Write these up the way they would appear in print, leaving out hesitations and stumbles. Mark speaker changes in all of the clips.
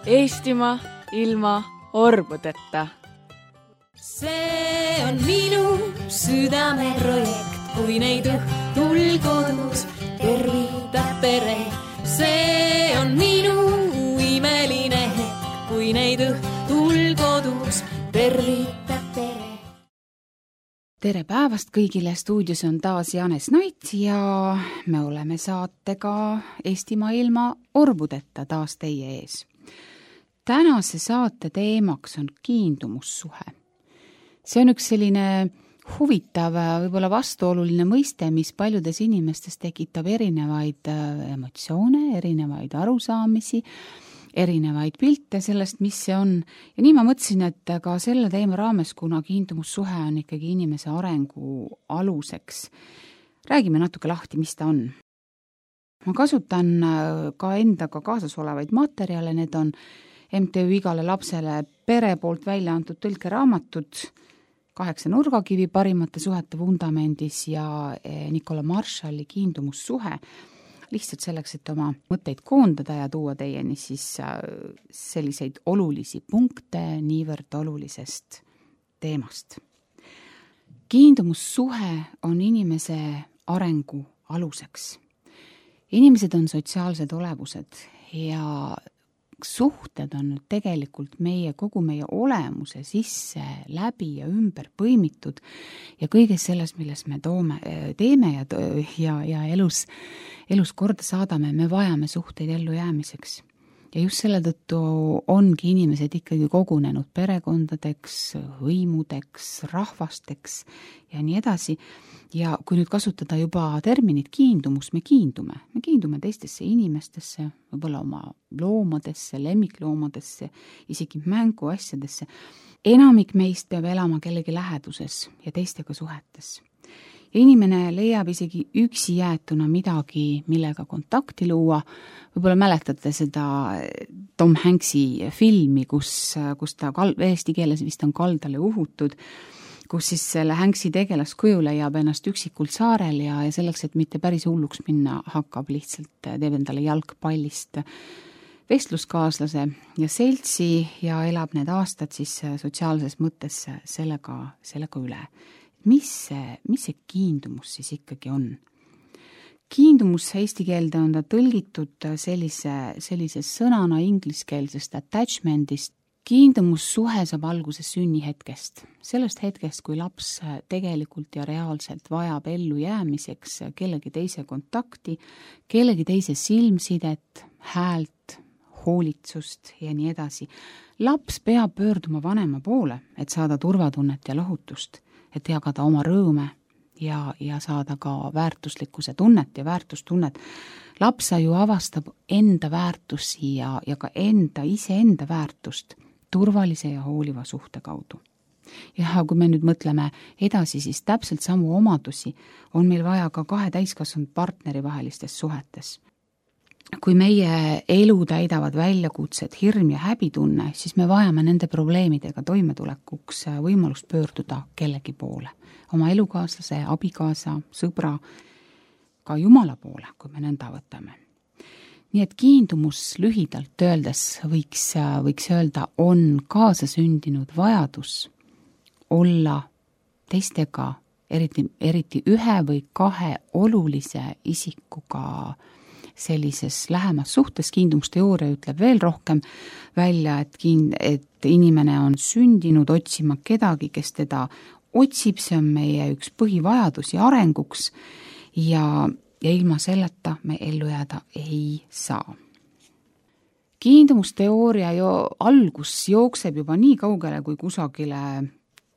Speaker 1: Eestimaa ilma orbudeta.
Speaker 2: See on minu südameprojekt, kui neid õhtul kodus tervitab pere. See on minu imeline hetk, kui neid õhtul kodus tervitab pere.
Speaker 3: Tere päevast kõigile, stuudios on taas Janes Nait ja me oleme saatega Eestimaa ilma orbudeta taas teie ees. Tänase saate teemaks on kiindumussuhe. See on üks selline huvitav, võib-olla vastuoluline mõiste, mis paljudes inimestes tekitab erinevaid emotsioone, erinevaid arusaamisi, erinevaid pilte sellest, mis see on. Ja nii ma mõtlesin, et ka selle teema raames, kuna kiindumussuhe on ikkagi inimese arengu aluseks, räägime natuke lahti, mis ta on. Ma kasutan ka endaga kaasas olevaid materjale, need on MTÜ Igale lapsele pere poolt välja antud tõlkeraamatud 8 nurgakivi parimate suhete vundamendis ja Nicola Marshalli kiindumussuhe, lihtsalt selleks, et oma mõtteid koondada ja tuua teieni siis selliseid olulisi punkte niivõrd olulisest teemast. Kiindumussuhe on inimese arengu aluseks. Inimesed on sotsiaalsed olevused ja suhted on tegelikult kogu meie olemuse sisse läbi ja ümber põimitud ja kõiges selles, milles me teeme ja elus korda saadame, me vajame suhteid ellu jäämiseks. Ja just selle tõttu ongi inimesed ikkagi kogunenud perekondadeks, hõimudeks, rahvasteks ja nii edasi. Ja kui nüüd kasutada juba terminit kiindumus, me kiindume teistesse inimestesse, võib-olla oma loomadesse, lemmikloomadesse, isegi mänguasjadesse. Enamik meist peab elama kellegi läheduses ja teistega suhetes. Ja inimene leiab isegi üksi jäetuna midagi, millega kontakti luua. Võib-olla mäletate seda Tom Hanksi filmi, kus ta eesti keeles vist on Kaldale uhutud, kus siis selle Hanksi tegelaskuju leiab ennast üksikult saarel ja selleks, et mitte päris hulluks minna, hakkab lihtsalt teeb endale jalgpallist vestluskaaslase ja seltsi ja elab need aastad siis sotsiaalses mõttes sellega üle. Mis see kiindumus siis ikkagi on? Kiindumus eesti keelde on ta tõlgitud sellise sõnana ingliskeelsest attachmentist. Kiindumussuhe saab alguse sünnihetkest. Sellest hetkest, kui laps tegelikult ja reaalselt vajab ellu jäämiseks kellegi teise kontakti, kellegi teise silmsidet, häält, hoolitsust ja nii edasi. Laps peab pöörduma vanema poole, et saada turvatunnet ja lohutust, et jagada oma rõõme ja saada ka väärtuslikkuse tunnet ja väärtustunnet. Lapsa ju avastab enda väärtusi ja ka iseenda väärtust turvalise ja hooliva suhte kaudu. Ja kui me nüüd mõtleme edasi, siis täpselt samu omadusi on meil vaja ka 2 täiskasvanud partneri vahelistes suhetes. Kui meie elu täidavad väljakutsed, hirm ja häbitunne, siis me vajame nende probleemidega toimetulekuks võimalust pöörduda kellegi poole. Oma elukaaslase, abikaasa, sõbra, ka Jumala poole, kui me nõnda võtame. Nii et kiindumus lühidalt öeldes võiks öelda, on kaasasündinud vajadus olla teistega, eriti 1 või 2 olulise isikuga sellises lähemas suhtes. Kiindumusteooria ütleb veel rohkem välja, et inimene on sündinud otsima kedagi, kes teda otsib, see on meie üks põhivajadusi arenguks ja ilma selleta me ellu jääda ei saa. Kiindumusteooria algus jookseb juba nii kaugele kui kusagile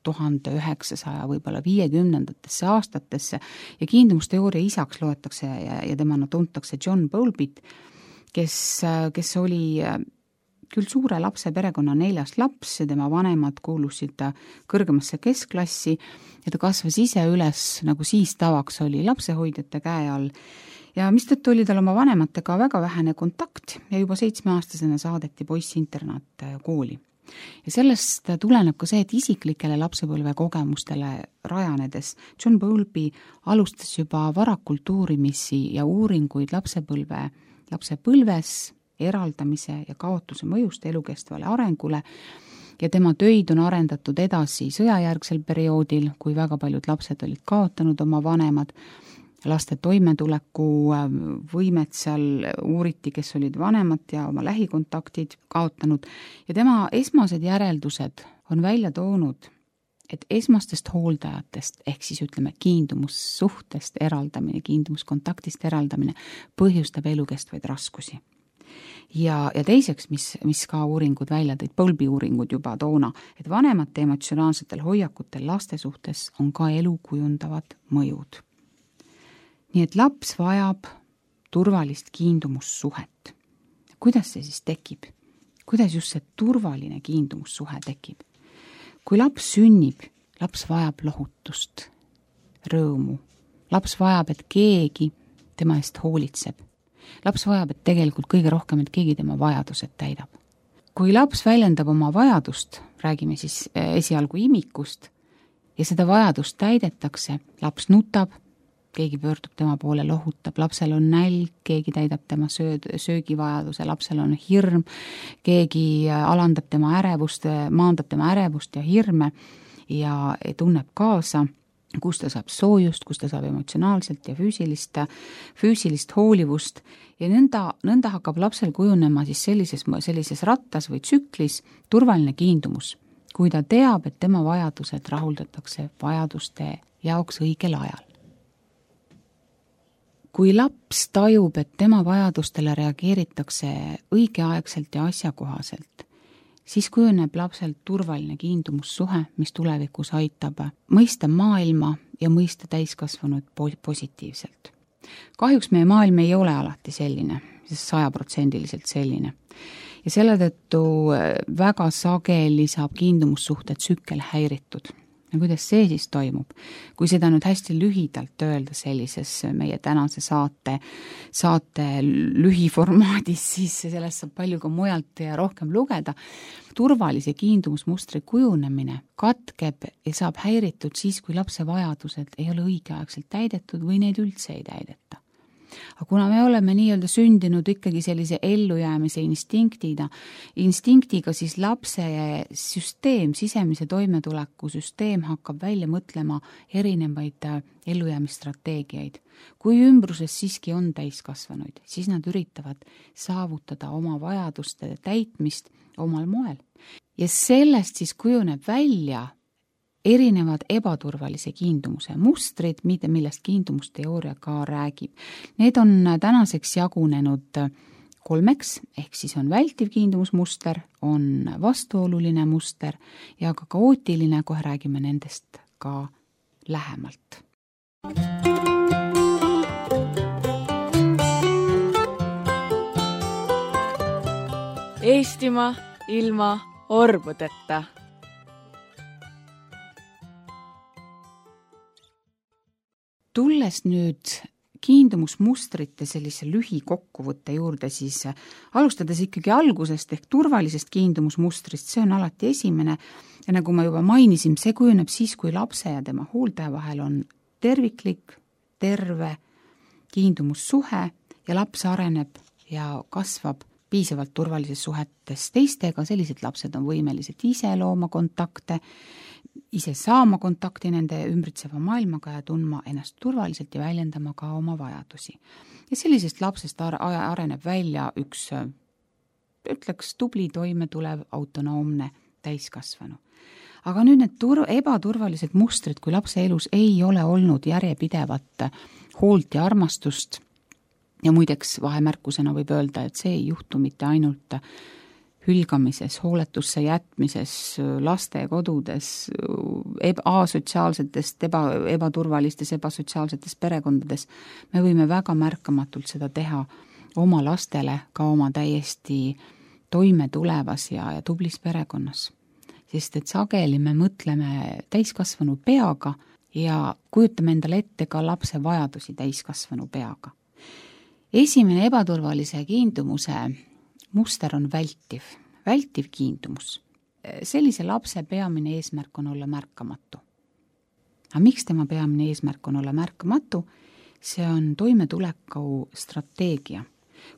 Speaker 3: 1900 võib-olla 50-ndatesse aastatesse ja kiindumusteooria isaks loetakse ja temana tuntakse John Bowlby, kes oli küll suure lapse perekonna 4. laps ja tema vanemad kuulusid kõrgemasse keskklassi ja ta kasvas ise üles, nagu siis tavaks oli, lapsehoidjate käe all. Ja mistõttu oli tal oma vanematega väga vähene kontakt ja juba 7-aastasena saadeti poiss internaat kooli. Ja sellest tuleneb ka see, et isiklikele lapsepõlve kogemustele rajanedes John Bowlby alustas juba varakult uurimisi ja uuringuid lapsepõlves eraldamise ja kaotuse mõjust elukestvale arengule ja tema töid on arendatud edasi sõjajärgsel perioodil, kui väga paljud lapsed olid kaotanud oma vanemad. Laste toimetuleku võimet seal uuriti, kes olid vanemad ja oma lähikontaktid kaotanud. Ja tema esmased järeldused on välja toonud, et esmastest hooldajatest ehk siis ütleme kiindumussuhtest eraldamine, kiindumuskontaktist eraldamine põhjustab elukestvaid raskusi. Ja teiseks, mis ka uuringud välja tõid, Bowlby uuringud juba toona, et vanemate emotsionaalsetel hoiakutel laste suhtes on ka elu kujundavad mõjud. Nii et laps vajab turvalist kiindumussuhet. Kuidas see siis tekib? Kuidas just see turvaline kiindumussuhe tekib? Kui laps sünnib, laps vajab lohutust, rõõmu. Laps vajab, et keegi tema eest hoolitseb. Laps vajab, et tegelikult kõige rohkem, et keegi tema vajadused täidab. Kui laps väljendab oma vajadust, räägime siis esialgu imikust, ja seda vajadust täidetakse, laps nutab, keegi pöördub tema poole, lohutab, lapsel on nälg, keegi täidab tema söögivajaduse, lapsel on hirm, keegi alandab tema ärevust, maandab tema ärevust ja hirme ja tunneb kaasa, kus ta saab soojust, kus ta saab emotsionaalselt ja füüsilist hoolivust ja nõnda hakkab lapsel kujunema siis sellises rattas või tsüklis turvaline kiindumus, kui ta teab, et tema vajadused rahuldatakse vajaduste jaoks õigel ajal. Kui laps tajub, et tema vajadustele reageeritakse õigeaegselt ja asjakohaselt, siis kujuneb lapselt turvaline kiindumussuhe, mis tulevikus aitab mõista maailma ja mõista täiskasvanud positiivselt. Kahjuks meie maailm ei ole alati selline, 100% selline. Ja selle tõttu väga sageli saab kiindumussuhte tsükkel häiritud. Ja kuidas see siis toimub? Kui seda nüüd hästi lühidalt öelda sellises meie tänase saate lühiformaadis, siis sellest saab palju ka mujalt ja rohkem lugeda. Turvalise kiindumusmustri kujunemine katkeb ja saab häiritud siis, kui lapse vajadused ei ole õigeaegselt täidetud või neid üldse ei täideta. Aga kuna me oleme nii-öelda sündinud ikkagi sellise ellujäämise instinktiga, siis lapse süsteem, sisemise toimetuleku süsteem hakkab välja mõtlema erinevaid ellujäämisstrateegiaid. Kui ümbruses siiski on täiskasvanuid, siis nad üritavad saavutada oma vajaduste täitmist omal moel. Ja sellest siis kujuneb välja erinevad ebaturvalise kiindumuse mustrid, millest kiindumusteooria ka räägib. Need on tänaseks jagunenud 3, ehk siis on vältiv kiindumusmuster, on vastuoluline muster ja ka kaootiline, kohe räägime nendest ka lähemalt.
Speaker 1: Eestimaa ilma orbudeta.
Speaker 3: Tulles nüüd kiindumusmustrite sellise lühikokkuvõtte juurde, siis alustades ikkagi algusest ehk turvalisest kiindumusmustrist, see on alati esimene ja nagu ma juba mainisin, see kujuneb siis, kui lapse ja tema hooldaja vahel on terviklik, terve kiindumussuhe ja laps areneb ja kasvab piisavalt turvalises suhetes teistega, sellised lapsed on võimelised ise looma kontakte, ise saama kontakti nende ümbritseva maailmaga ja tundma ennast turvaliselt ja väljendama ka oma vajadusi. Ja sellisest lapsest areneb välja üks, ütleks, tubli toimetulev autonoomne täiskasvanu. Aga nüüd need ebaturvalised mustrid, kui lapse elus ei ole olnud järjepidevat hoolt ja armastust, ja muideks vahemärkusena võib öelda, et see ei juhtu mitte ainult hülgamises, hooletusse jätmises, lastekodudes, asotsiaalsetest, ebaturvalistes, ebasotsiaalsetes perekondades. Me võime väga märkamatult seda teha oma lastele, ka oma täiesti toime tulevas ja tublis perekonnas. Sest et sageli me mõtleme täiskasvanu peaga ja kujutame endale ette ka lapse vajadusi täiskasvanu peaga. Esimene ebaturvalise kiindumuse muster on vältiv kiindumus. sellise lapse peamine eesmärk on olla märkamatu. Aga miks tema peamine eesmärk on olla märkamatu? See on toimetuleku strateegia.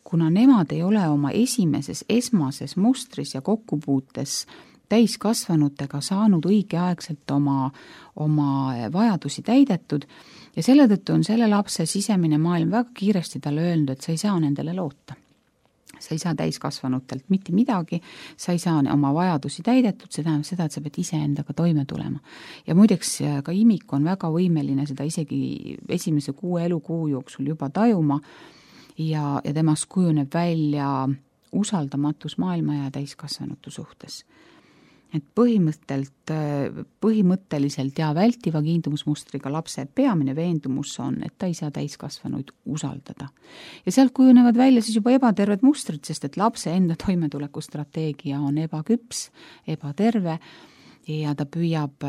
Speaker 3: Kuna nemad ei ole oma esmases mustris ja kokkupuutes täiskasvanutega saanud õigeaegselt oma vajadusi täidetud ja selle tõttu on selle lapse sisemine maailm väga kiiresti talle öelnud, et sa ei saa nendele loota. Sa ei saa täiskasvanutelt mitte midagi, sa ei saa oma vajadusi täidetud, see tähendab seda, et sa pead ise endaga toime tulema. Ja muideks ka imik on väga võimeline seda isegi esimese 6 elukuu jooksul juba tajuma ja temast kujuneb välja usaldamatus maailma ja täiskasvanutu suhtes. Et põhimõtteliselt ja vältiva kiindumusmustriga lapse peamine veendumus on, et ta ei saa täiskasvanuid usaldada. Ja sealt kujunevad välja siis juba ebaterved mustrid, sest et lapse enda toimetulekustrateegia on ebaküps, ebaterve ja ta püüab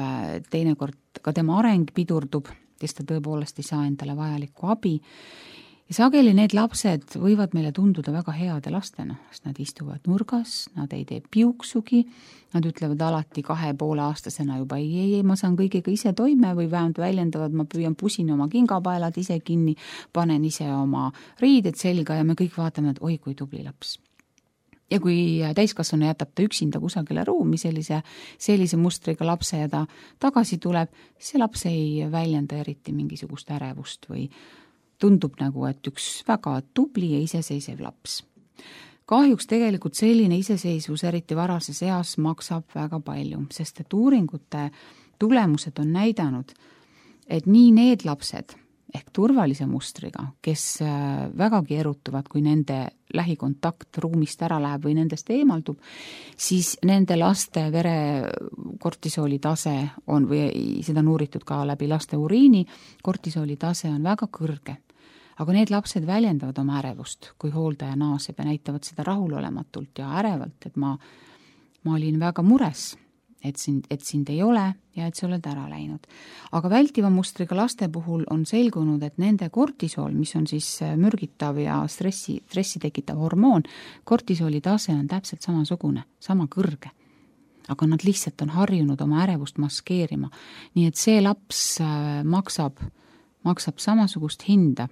Speaker 3: teinekord, ka tema areng pidurdub, sest ta tõepoolest ei saa endale vajalikku abi. Ja sageli need lapsed võivad meile tunduda väga heade lastena, sest nad istuvad nurgas, nad ei tee piuksugi, nad ütlevad alati 2,5-aastasena juba ei, ma saan kõigega ise toime või vähemalt väljendavad, ma püüan pusin oma kingapaelad ise kinni, panen ise oma riided selga ja me kõik vaatame, et oi, kui tubli laps. Ja kui täiskasvanu jätab ta üksinda kusagile ruumi sellise mustriga lapse ja ta tagasi tuleb, see laps ei väljenda eriti mingisugust ärevust või tundub nagu, et üks väga tubli ja iseseisev laps. Kahjuks tegelikult selline iseseisvus eriti varases eas maksab väga palju, sest et uuringute tulemused on näidanud, et nii need lapsed ehk turvalise mustriga, kes vägagi erutuvad, kui nende lähikontakt ruumist ära läheb või nendest eemaldub, siis nende laste verekortisooli tase on, või seda on uuritud ka läbi laste uriini, kortisooli tase on väga kõrge. Aga need lapsed väljendavad oma ärevust, kui hooldaja naaseb ja näitavad seda rahulolematult ja ärevalt, et ma olin väga mures, et sind ei ole ja et sa oled ära läinud. Aga vältiva mustriga laste puhul on selgunud, et nende kortisool, mis on siis mürgitav ja stressi tekitav hormoon, kortisooli tase on täpselt samasugune, sama kõrge. Aga nad lihtsalt on harjunud oma ärevust maskeerima. Nii et see laps maksab samasugust hinda.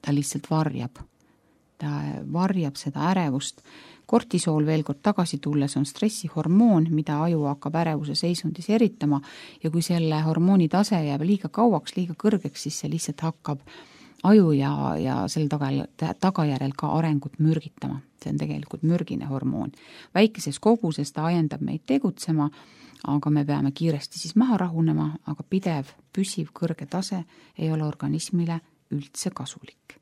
Speaker 3: Ta lihtsalt varjab. Ta varjab seda ärevust. Kortisool veel kord tagasi tulles on stressihormoon, mida aju hakkab ärevuse seisundis eritama ja kui selle hormooni tase jääb liiga kauaks, liiga kõrgeks, siis see lihtsalt hakkab aju ja selle tagajärjel ka arengut mürgitama. See on tegelikult mürgine hormoon. Väikeses koguses ta ajendab meid tegutsema, aga me peame kiiresti siis maha rahunema, aga pidev, püsiv, kõrge tase ei ole organismile üldse kasulik.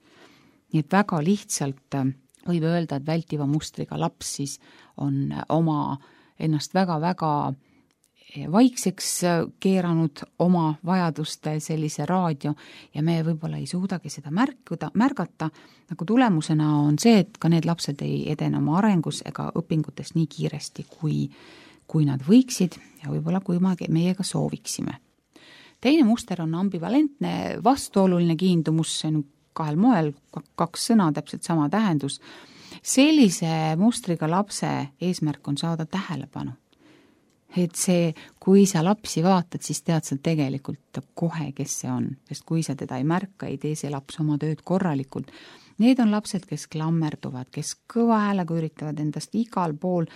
Speaker 3: Nii et väga lihtsalt võib öelda, et vältiva mustriga laps siis on oma ennast väga-väga vaikseks keeranud oma vajaduste sellise raadio ja me võib-olla ei suudagi seda märgata, nagu tulemusena on see, et ka need lapsed ei edene oma arengus ega õpingutes nii kiiresti, kui nad võiksid ja võib-olla kui meiega sooviksime. Teine muster on ambivalentne, vastuoluline kiindumus, see on 2 moel, 2 sõna, täpselt sama tähendus. Sellise mustriga lapse eesmärk on saada tähelepanu. Et see, kui sa lapsi vaatad, siis tead sa tegelikult kohe, kes see on. Sest kui sa teda ei märka, ei tee see laps oma tööd korralikult. Need on lapsed, kes klammerduvad, kes kõva häälega üritavad endast igal pool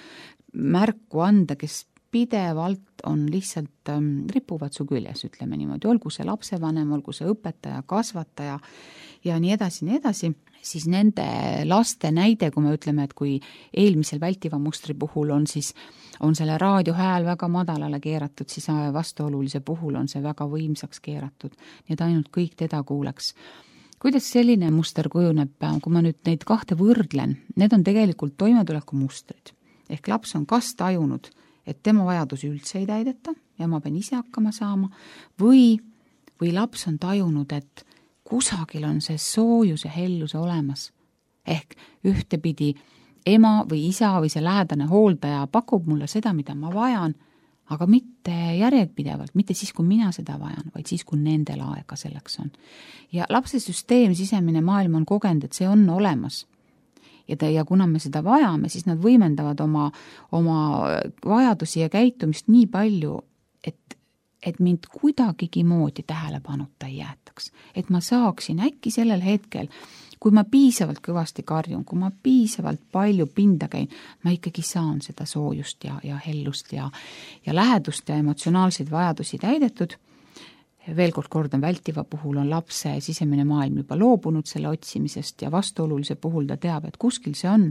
Speaker 3: märku anda, kes pidevalt on lihtsalt ripuvad su küljes, ütleme niimoodi, olgu see lapsevanem, olgu see õpetaja, kasvataja ja nii edasi, siis nende laste näide, kui me ütleme, et kui eelmisel vältiva mustri puhul on selle raadiohääl väga madalale keeratud, siis vastuolulise puhul on see väga võimsaks keeratud, nii et ainult kõik teda kuuleks. Kuidas selline muster kujuneb, kui ma nüüd neid 2 võrdlen, need on tegelikult toimetuleku mustrid. Ehk laps on kas tajunud, et tema vajadusi üldse ei täideta ja ma pean ise hakkama saama, või laps on tajunud, et kusagil on see soojus ja helluse olemas. Ehk ühtepidi ema või isa või see lähedane hooldaja pakub mulle seda, mida ma vajan, aga mitte järjepidevalt, mitte siis, kui mina seda vajan, vaid siis, kui nendel aega selleks on. Ja lapse süsteem, sisemine maailm on kogenud, et see on olemas. ja kuna me seda vajame, siis nad võimendavad oma vajadusi ja käitumist nii palju, et mind kuidagigi moodi tähelepanuta ei jäetaks. Et ma saaksin äkki sellel hetkel, kui ma piisavalt kõvasti karjun, kui ma piisavalt palju pinda käin, ma ikkagi saan seda soojust ja hellust ja lähedust ja emotsionaalseid vajadusi täidetud. Veel kord kordan, vältiva puhul on lapse sisemine maailm juba loobunud selle otsimisest ja vastuolulise puhul ta teab, et kuskil see on.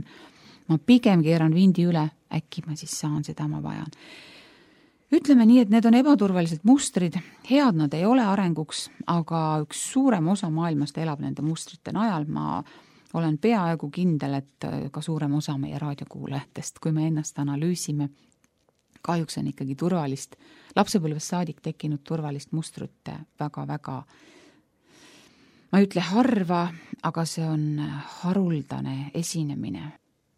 Speaker 3: Ma pigem keeran vindi üle, äkki ma siis saan seda, ma vajan. Ütleme nii, et need on ebaturvalised mustrid, head nad ei ole arenguks, aga üks suurem osa maailmast elab nende mustrite najal. Ma olen peaaegu kindel, et ka suurem osa meie raadiokuulajatest, kui me ennast analüüsime, kahjuks on ikkagi turvalist, lapsepõlvest saadik tekkinud turvalist mustrut väga-väga, ma ei ütle harva, aga see on haruldane esinemine.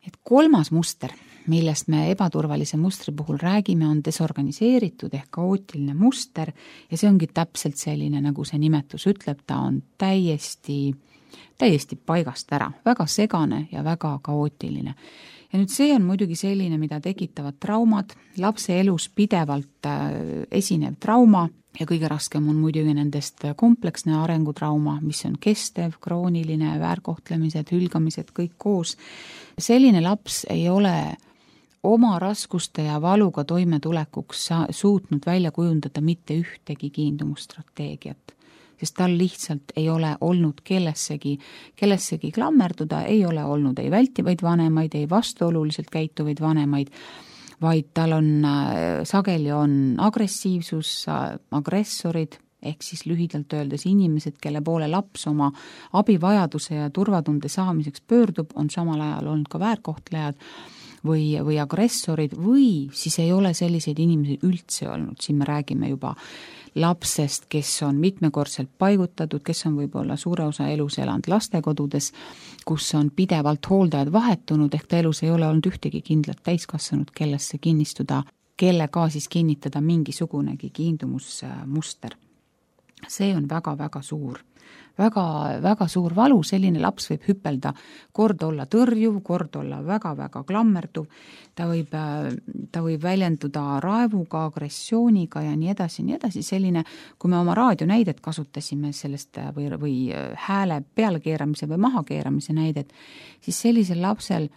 Speaker 3: Et 3. muster, millest me ebaturvalise mustri puhul räägime, on desorganiseeritud ehk kaootiline muster ja see ongi täpselt selline, nagu see nimetus ütleb, ta on täiesti paigast ära, väga segane ja väga kaootiline. Ja nüüd see on muidugi selline, mida tekitavad traumad, lapse elus pidevalt esinev trauma ja kõige raskem on muidugi nendest kompleksne arengutrauma, mis on kestev, krooniline, väärkohtlemised, hülgamised, kõik koos. Selline laps ei ole oma raskuste ja valuga toimetulekuks suutnud välja kujundada mitte ühtegi kiindumusstrateegiat, sest tal lihtsalt ei ole olnud kellessegi klammerduda, ei ole olnud ei vältivaid vanemaid, ei vastuoluliselt käituvaid vanemaid, vaid tal on sageli on agressiivsus, agressorid, ehk siis lühidalt öeldes inimesed, kelle poole laps oma abivajaduse ja turvatunde saamiseks pöördub, on samal ajal olnud ka väärkohtlejad või agressorid või siis ei ole selliseid inimesi üldse olnud. Siin me räägime juba lapsest, kes on mitmekordselt paigutatud, kes on võib-olla suure osa elus elanud lastekodudes, kus on pidevalt hooldajad vahetunud, ehk ta elus ei ole olnud ühtegi kindlat täiskasvanud, kellesse kinnistuda, kellega siis kinnitada mingisugunegi kiindumusmuster. See on väga-väga suur. Väga suur valu, selline laps võib hüppelda, kord olla tõrjuv, kord olla väga-väga klammerduv, ta võib väljenduda raevuga, agressiooniga ja nii edasi, selline, kui me oma raadionäidet kasutasime sellest või hääle pealekeeramise või mahakeeramise näidet, siis sellisel lapsel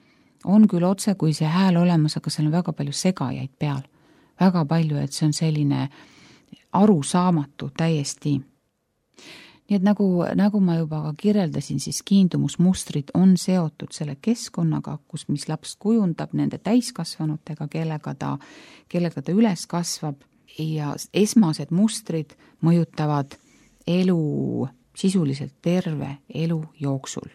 Speaker 3: on küll otse, kui see hääl olemas, aga seal on väga palju segajaid peal, väga palju, et see on selline arusaamatu täiesti. Nii et nagu ma juba ka kirjeldasin, siis kiindumusmustrid on seotud selle keskkonnaga, mis laps kujundab nende täiskasvanutega, kellega ta üles kasvab ja esmased mustrid mõjutavad elu sisuliselt terve elu jooksul.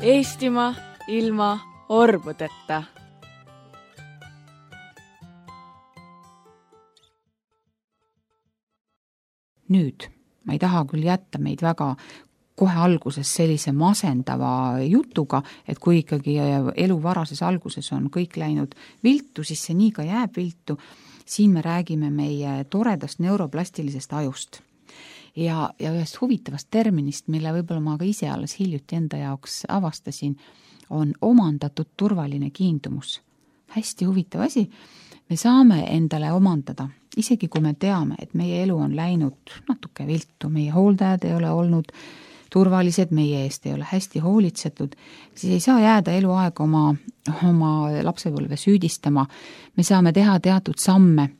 Speaker 1: Eestimaa ilma orbudeta.
Speaker 3: Nüüd, ma ei taha küll jätta meid väga kohe alguses sellise masendava jutuga, et kui ikkagi elu varases alguses on kõik läinud viltu, siis see nii ka jääb viltu. Siin me räägime meie toredast neuroplastilisest ajust ja ühest huvitavast terminist, mille võib-olla ma ka ise alles hiljuti enda jaoks avastasin, on omandatud turvaline kiindumus. Hästi huvitav asi. Me saame endale omandada, isegi kui me teame, et meie elu on läinud natuke viltu, meie hooldajad ei ole olnud turvalised, meie eest ei ole hästi hoolitsetud, siis ei saa jääda eluaeg oma lapsepõlve süüdistama. Me saame teha teatud samme,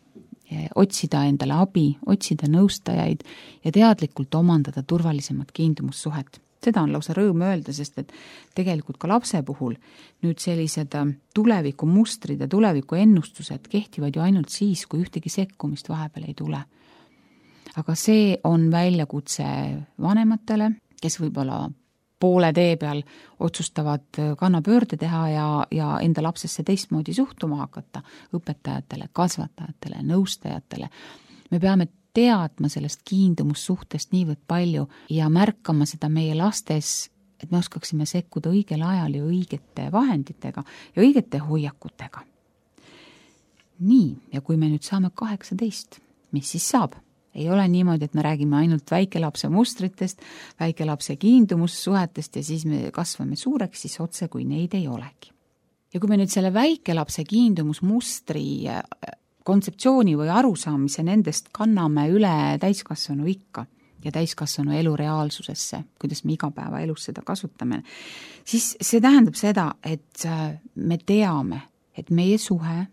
Speaker 3: otsida endale abi, otsida nõustajaid ja teadlikult omandada turvalisemat kiindumussuhet. Seda on lausa rõõm öelda, sest et tegelikult ka lapse puhul nüüd sellised tuleviku mustrid ja tuleviku ennustused kehtivad ju ainult siis, kui ühtegi sekkumist vahepeal ei tule. Aga see on väljakutse vanematele, kes võib-olla poole tee peal otsustavad kannapöörde teha ja enda lapsesse teistmoodi suhtuma hakata, õpetajatele, kasvatajatele, nõustajatele. Me peame teadma sellest kiindumussuhtest niivõrd palju ja märkama seda meie lastes, et me oskaksime sekkuda õigel ajal ja õigete vahenditega ja õigete hoiakutega. Nii, ja kui me nüüd saame 18, mis siis saab? Ei ole niimoodi, et me räägime ainult väikelapse mustritest, väikelapse kiindumussuhetest ja siis me kasvame suureks, siis otse kui neid ei olegi. Ja kui me nüüd selle väikelapse kiindumusmustri kontseptsiooni või arusaamise nendest kanname üle täiskasvanu ikka ja täiskasvanu elu reaalsusesse, kuidas me igapäevaelus seda kasutame, siis see tähendab seda, et me teame, et meie suhe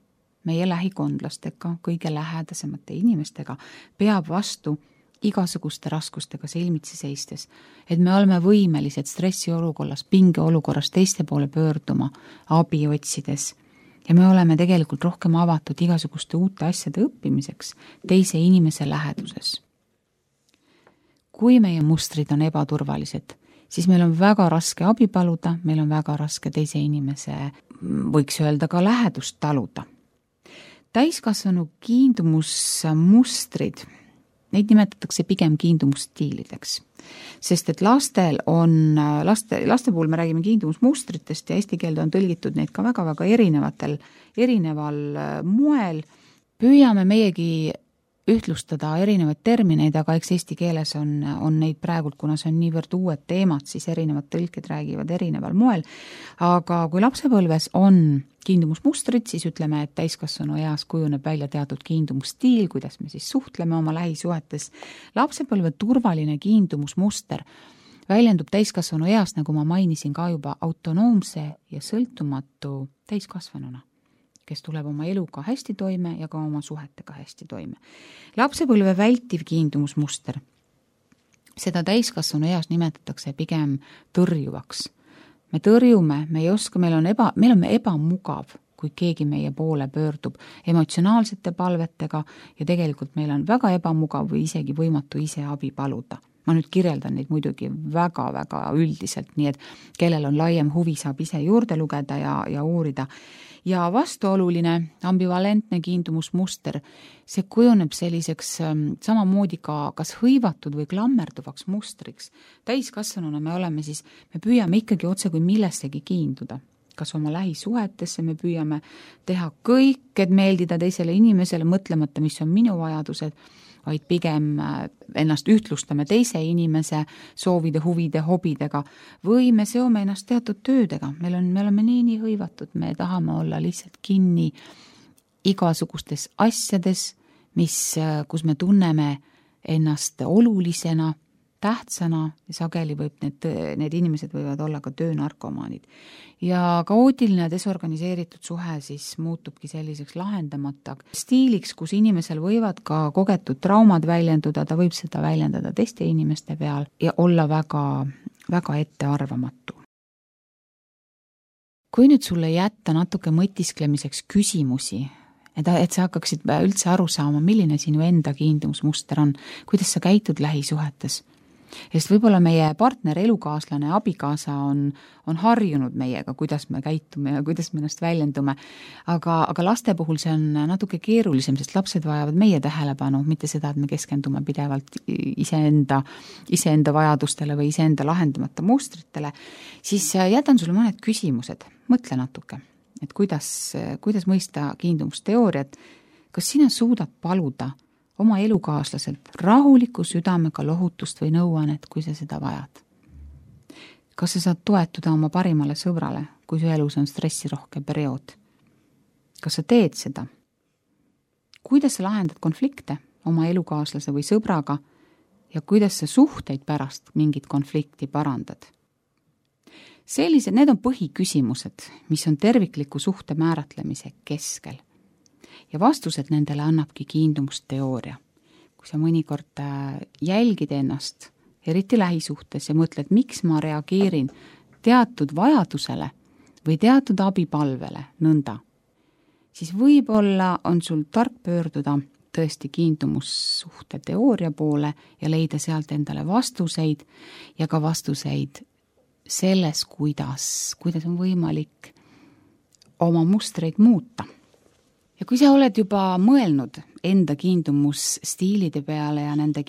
Speaker 3: meie lähikondlastega, kõige lähedasemate inimestega peab vastu igasuguste raskustega silmitsi seistes, et me oleme võimelised stressiolukorras, pingeolukorras teiste poole pöörduma, abi otsides ja me oleme tegelikult rohkem avatud igasuguste uute asjade õppimiseks teise inimese läheduses. Kui meie mustrid on ebaturvalised, siis meil on väga raske abi paluda, meil on väga raske teise inimese, võiks öelda ka lähedust taluda. Täiskasvanu kiindumusmustrid, neid nimetatakse pigem kiindumusstiilideks, sest et laste puhul me räägime kiindumusmustritest ja eesti keelde on tõlgitud neid ka väga-väga erineval moel. Püüame meiegi ühtlustada erinevaid termineid, aga eks eesti keeles on neid praegult, kuna see on niivõrd uued teemad, siis erinevad tõlked räägivad erineval moel. Aga kui lapsepõlves on kiindumusmustrid, siis ütleme, et täiskasvanu eas kujuneb välja teatud kiindumusstiil, kuidas me siis suhtleme oma lähisuhetes. Lapsepõlve turvaline kiindumusmuster väljendub täiskasvanu eas, nagu ma mainisin ka juba, autonoomse ja sõltumatu täiskasvanuna, kes tuleb oma eluga hästi toime ja ka oma suhetega hästi toime. Lapsepõlve vältiv kiindumusmuster, seda täiskasvanu eas nimetatakse pigem tõrjuvaks. Me tõrjume, me ei oska, meil on ebamugav, kui keegi meie poole pöördub emotsionaalsete palvetega ja tegelikult meil on väga ebamugav või isegi võimatu ise abi paluda. Ma nüüd kirjeldan neid muidugi väga-väga üldiselt, nii et kellel on laiem huvi, saab ise juurde lugeda ja uurida. Ja vastuoluline ambivalentne kiindumusmuster, see kujuneb selliseks samamoodi ka kas hõivatud või klammerduvaks mustriks. Täiskasvanuna me püüame ikkagi otse kui millessegi kiinduda. Kas oma lähisuhetesse me püüame teha kõik, et meeldida teisele inimesele, mõtlemata, mis on minu vajadused, vaid pigem ennast ühtlustame teise inimese soovide, huvide, hobidega või me seome ennast teatud töödega. Me oleme nii hõivatud, me tahame olla lihtsalt kinni igasugustes asjades, kus me tunneme ennast olulisena, tähtsana ja sageli need inimesed võivad olla ka töönarkomaanid. Ja kaootiline desorganiseeritud suhe siis muutubki selliseks lahendamata stiiliks, kus inimesel võivad ka kogetud traumad väljenduda, ta võib seda väljendada teiste inimeste peal ja olla väga, väga ettearvamatu. Kui nüüd sulle jätta natuke mõtisklemiseks küsimusi, et sa hakkaksid üldse aru saama, milline sinu enda kiindumusmuster on, kuidas sa käitud lähisuhetes, sest võib-olla meie partner, elukaaslane, abikaasa on harjunud meiega, kuidas me käitume ja kuidas me ennast väljendume. Aga laste puhul see on natuke keerulisem, sest lapsed vajavad meie tähelepanu, mitte seda, et me keskendume pidevalt iseenda vajadustele või iseenda lahendamata mustritele. Siis jätan sulle mõned küsimused. Mõtle natuke, et kuidas mõista kiindumusteooriat. Kas sina suudad paluda oma elukaaslaselt rahuliku südamega lohutust või nõuannet, kui sa seda vajad? Kas sa saad toetuda oma parimale sõbrale, kui su elus on stressirohke periood? Kas sa teed seda? Kuidas sa lahendad konflikte oma elukaaslase või sõbraga ja kuidas sa suhteid pärast mingit konflikti parandad? Need on põhiküsimused, mis on tervikliku suhte määratlemise keskel. Ja vastused nendele annabki kiindumusteooria. Kui sa mõnikord jälgid ennast, eriti lähisuhtes ja mõtled, miks ma reageerin teatud vajadusele või teatud abipalvele nõnda, siis võib-olla on sul tark pöörduda tõesti kiindumussuhte teooria poole ja leida sealt endale vastuseid ja ka vastuseid selles, kuidas on võimalik oma mustreid muuta. Ja kui sa oled juba mõelnud enda kiindumusstiilide peale ja nende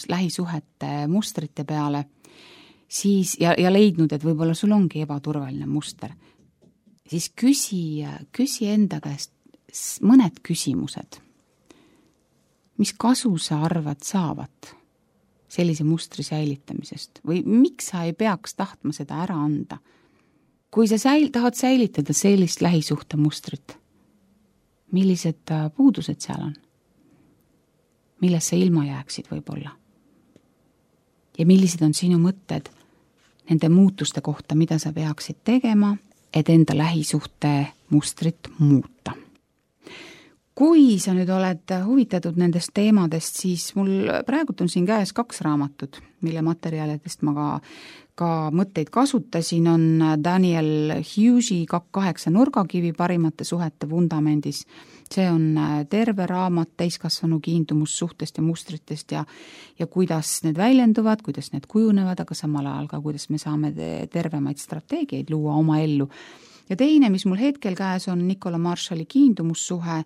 Speaker 3: lähisuhete mustrite peale, siis ja leidnud, et võib-olla sul ongi ebaturvaline muster, siis küsi enda käest mõned küsimused. mis kasu sa arvad saavat sellise mustri säilitamisest või miks sa ei peaks tahtma seda ära anda? Kui sa tahad säilitada sellist lähisuhte mustrit, millised puudused seal on? Millest sa ilma jääksid võib-olla? Ja millised on sinu mõtted nende muutuste kohta, mida sa peaksid tegema, et enda lähisuhte mustrit muuta? Kui sa nüüd oled huvitatud nendest teemadest, siis mul praegult on siin käes 2 raamatut, mille materjalidest ma ka mõtteid kasutasin, on Daniel Hughes'i 28 nurgakivi parimate suhete vundamendis. See on terve raamat täiskasvanu kiindumussuhtest ja mustritest ja kuidas need väljenduvad, kuidas need kujunevad, aga samal ajal ka, kuidas me saame tervemaid strateegiaid luua oma ellu. Ja teine, mis mul hetkel käes on Nicola Marshalli kiindumussuhe,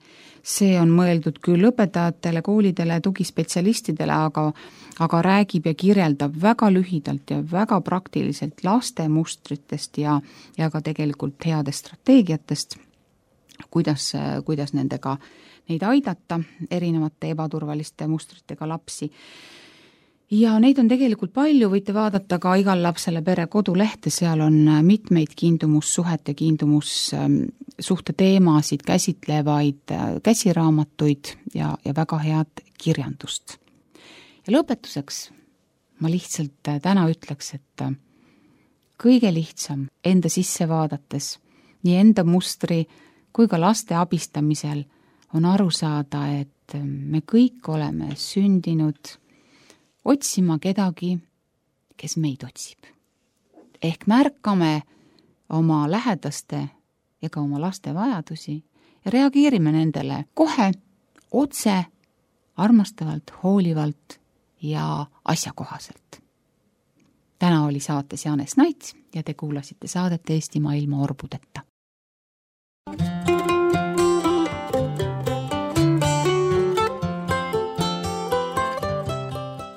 Speaker 3: see on mõeldud küll õpetajatele, koolidele, tugispetsialistidele, aga räägib ja kirjeldab väga lühidalt ja väga praktiliselt laste mustritest ja ka tegelikult headest strateegiatest, kuidas neid aidata, erinevate ebaturvaliste mustritega lapsi. Ja neid on tegelikult palju, võite vaadata ka Igal lapsele pere kodulehte, seal on mitmeid kiindumussuhet ja kiindumussuhte teemasid käsitlevaid käsiraamatuid ja väga head kirjandust. Ja lõpetuseks ma lihtsalt täna ütleks, et kõige lihtsam enda sisse vaadates, nii enda mustri kui ka laste abistamisel on aru saada, et me kõik oleme sündinud otsima kedagi, kes meid otsib. Ehk märkame oma lähedaste ja ka oma laste vajadusi ja reageerime nendele kohe, otse, armastavalt, hoolivalt ja asjakohaselt. Täna oli saates Jaanes Naits ja te kuulasite saadet Eestimaa ilma orbudeta.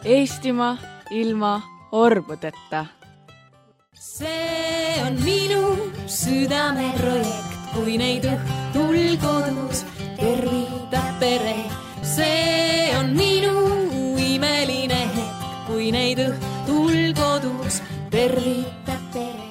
Speaker 1: Eestimaa ilma orbudeta.
Speaker 2: See on minu südameprojekt, kui neid õhtul kodus tervitab pere. See on minu imeline hetk, kui neid õhtul kodus tervitab pere.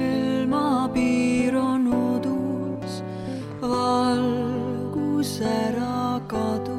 Speaker 4: Silmapiir on udus, valguse raak.
Speaker 2: kadu.